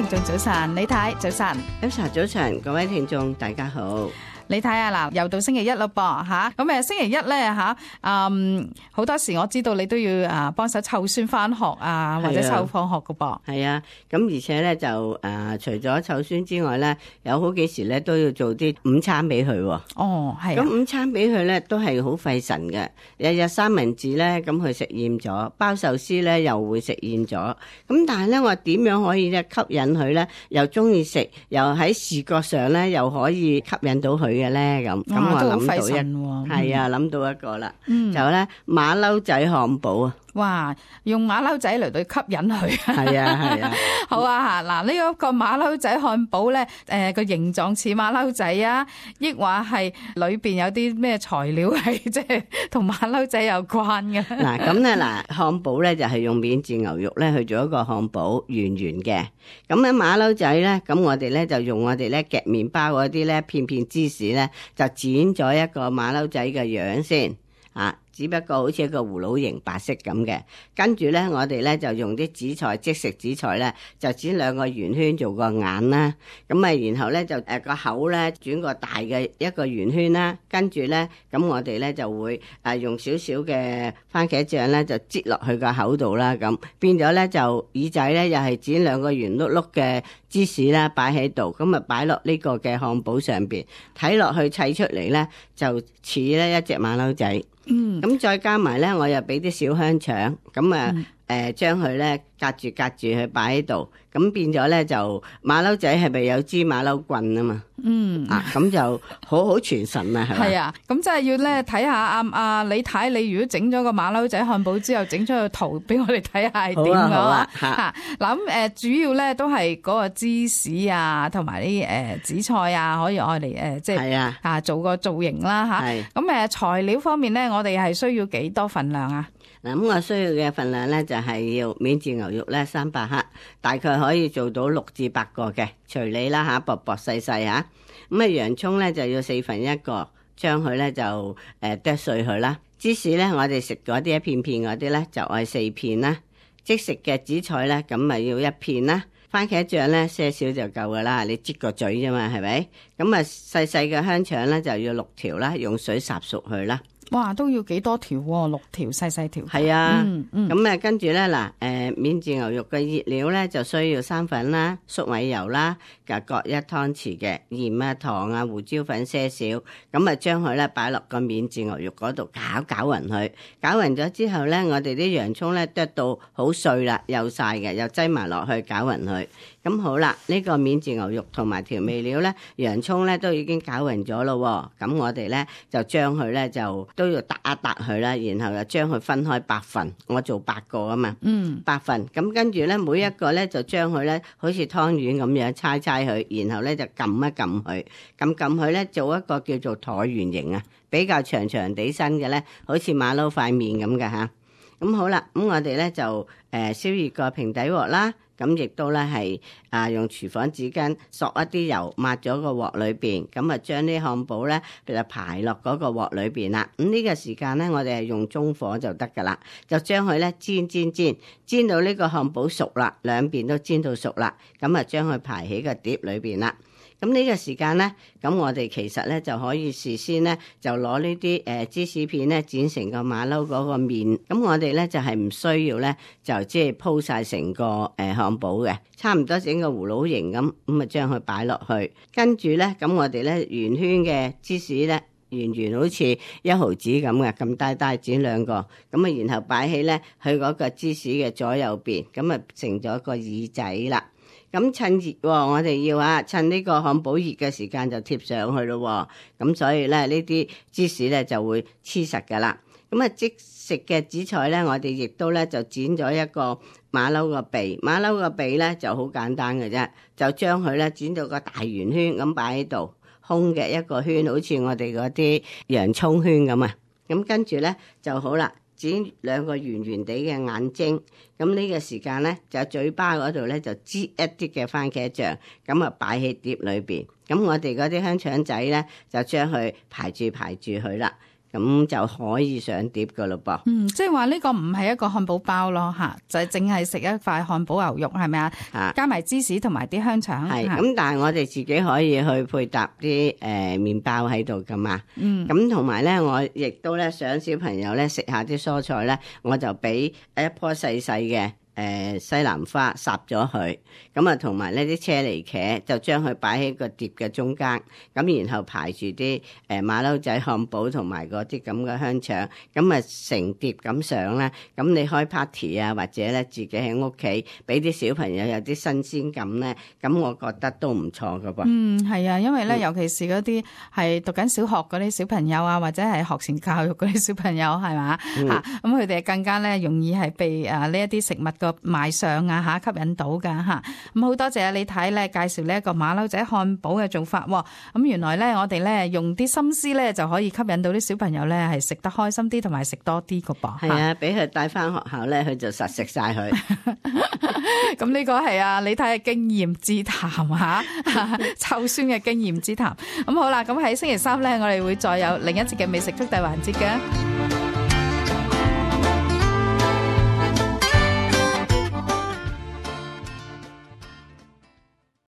聽眾早晨，李太早晨，Elsa早晨，各位聽眾大家好。你睇下嗱，又到星期一咯噃吓，咁星期一咧吓，好多時我知道你都要幫手湊孫翻學啊，或者湊放學噶噃。係啊，咁而且咧就除咗湊孫之外咧，有好幾時咧都要做啲午餐俾佢。哦，係。咁午餐俾佢咧都係好費神嘅，日日三文治咧咁佢食厭咗，包壽司咧又會食厭咗。咁但係咧我點樣可以咧吸引佢咧，又中意食，又喺視覺上咧又可以吸引到佢嘅咧咁，我諗到係啊，諗到一個啦，就咧馬騮仔漢堡啊！哇，用馬騮仔嚟到吸引佢，係啊係啊，好啊吓，嗱呢一個馬騮仔漢堡咧，個形狀似馬騮仔啊，抑或係裏邊有啲咩材料係即係同馬騮仔有關嘅？嗱咁咧漢堡咧就係用免治牛肉咧去做一個漢堡，圓圓嘅。咁咧馬騮仔咧，咁我哋咧就用我哋咧夾麵包嗰啲咧片片芝士咧，就剪咗一個馬騮仔嘅樣先啊。只不過好似一個葫蘆形白色咁嘅，跟住咧我哋咧就用啲紫菜，即食紫菜咧就剪兩個圓圈做個眼啦，咁然後咧就個口咧轉個大嘅一個圓圈啦，跟住咧咁我哋咧就會用少少嘅番茄醬咧就擠落去個口度啦，咁變咗咧就耳仔咧又係剪兩個圓碌碌嘅芝士啦擺喺度，咁擺落呢個嘅漢堡上邊，睇落去砌出嚟咧就似咧一隻馬騮仔。咁再加埋咧，我又俾啲小香腸，咁將佢咧隔住佢擺喺度，咁變咗咧就馬騮仔係咪有支馬騮棍啊嘛？咁就好全神啊，係咪？係啊，咁真係要咧睇下李太，你如果整咗個馬騮仔漢堡之後，整咗個圖俾我哋睇下係點噶吓。嗱咁主要咧都係嗰個芝士啊，同埋啲紫菜啊，可以愛嚟即係做個造型啦吓。咁材料方面咧，我哋係需要幾多份量啊？嗱，咁我需要嘅份量咧就係要免治牛肉咧300克，大概可以做到6至8個嘅，隨你啦吓，薄薄細細吓。咁洋蔥咧就要1/4個，將佢咧就剁碎佢啦。芝士咧我哋食嗰啲一片片嗰啲咧就愛4片啦。即食嘅紫菜咧咁咪要1片啦。番茄醬咧些少就夠噶啦，你擠個嘴啫嘛，係咪？咁細細嘅香腸咧就要6條啦，用水烚熟佢啦。哇，都要幾多條喎？6條細條。係啊，咁跟住咧免治牛肉嘅熱料咧就需要生粉啦、粟米油啦，各1湯匙嘅鹽啊、糖啊、胡椒粉些少，咁將佢咧擺落個免治牛肉嗰度攪勻佢，攪勻咗之後咧，我哋啲洋蔥咧剁到好碎啦，幼晒嘅，又擠埋落去攪勻佢。咁好啦，呢個免治牛肉同埋調味料咧，洋蔥咧都已經攪勻咗咯，咁我哋咧就將佢咧就都要揼一揼佢啦，然後就將佢分開8份，我做8個啊嘛，8份，咁跟住咧每一個咧就將佢咧好似湯圓咁樣搓佢，然後咧就撳一撳佢，撳佢咧做一個叫做橢圓形啊，比較長地身嘅咧，好似馬騮塊面咁嘅吓。咁好啦，咁我哋咧就燒熱個平底鑊啦。咁亦都咧係用廚房紙巾索一啲油抹咗個鑊裏邊，咁將啲漢堡咧就排落嗰個鑊裏邊啦。咁呢個時間咧，我哋係用中火就得噶啦，就將佢咧煎到呢個漢堡熟啦，兩邊都煎到熟啦，咁將佢排喺個碟裏邊啦。咁呢個時間咧，咁我哋其實咧就可以事先咧就攞呢啲芝士片咧剪成個馬騮嗰個面，咁我哋咧就係唔需要咧就即係鋪晒成個漢堡嘅，差唔多整個葫蘆形咁將佢擺落去，跟住咧咁我哋咧圓圈嘅芝士咧圓好似1毫子咁嘅，咁大剪2個，咁然後擺起咧佢嗰個芝士嘅左右邊，咁成咗個耳仔啦。咁趁熱喎，我哋要趁呢個漢堡熱嘅時間就貼上去咯。咁所以咧呢啲芝士咧就會黐實噶啦。咁即食嘅紫菜咧，我哋亦都咧就剪咗一個馬騮個鼻，馬騮個鼻咧就好簡單嘅啫，就將佢咧剪到個大圓圈咁擺喺度，空嘅一個圈，好似我哋嗰啲洋葱圈咁啊。咁跟住咧就好啦。剪2個圓地嘅眼睛，咁呢個時間咧就喺嘴巴嗰度咧就擠一啲嘅番茄醬，咁擺喺碟裏邊。咁我哋嗰啲香腸仔咧就將佢排住佢啦。咁就可以上碟噶咯噃。即係話呢個唔係一個漢堡包咯嚇，就係淨係食一塊漢堡牛肉係咪啊？加埋芝士同埋啲香腸。係咁，但係我哋自己可以去配搭啲麵包喺度噶嘛。咁同埋咧，我亦都咧想小朋友咧食下啲蔬菜咧，我就俾一樖細細嘅西蘭花烚咗佢，咁啊同埋呢啲車厘茄就將佢擺喺個碟嘅中間，咁然後排住啲馬騮仔漢堡同埋嗰啲咁嘅香腸，咁啊成碟咁上啦。咁你開 party 啊，或者咧自己喺屋企俾啲小朋友有啲新鮮感咧，咁我覺得都唔錯噶噃。係啊，因為咧尤其是嗰啲係讀緊小學嗰啲小朋友啊，或者係學前教育嗰啲小朋友係嘛嚇，咁佢哋更加咧容易係被呢一啲食物個賣相啊嚇吸引到噶嚇。咁好多謝啊李太咧介紹呢一個馬騮仔漢堡嘅做法喎。咁原來咧我哋咧用啲心思咧就可以吸引到啲小朋友咧係食得開心啲同埋食多啲噶噃。係啊，俾佢帶翻學校咧，佢就實食晒佢。咁呢個係啊李太嘅經驗之談嚇，湊孫嘅經驗之談。咁好啦，咁喺星期三咧，我哋會再有另一節嘅美食速遞環節嘅。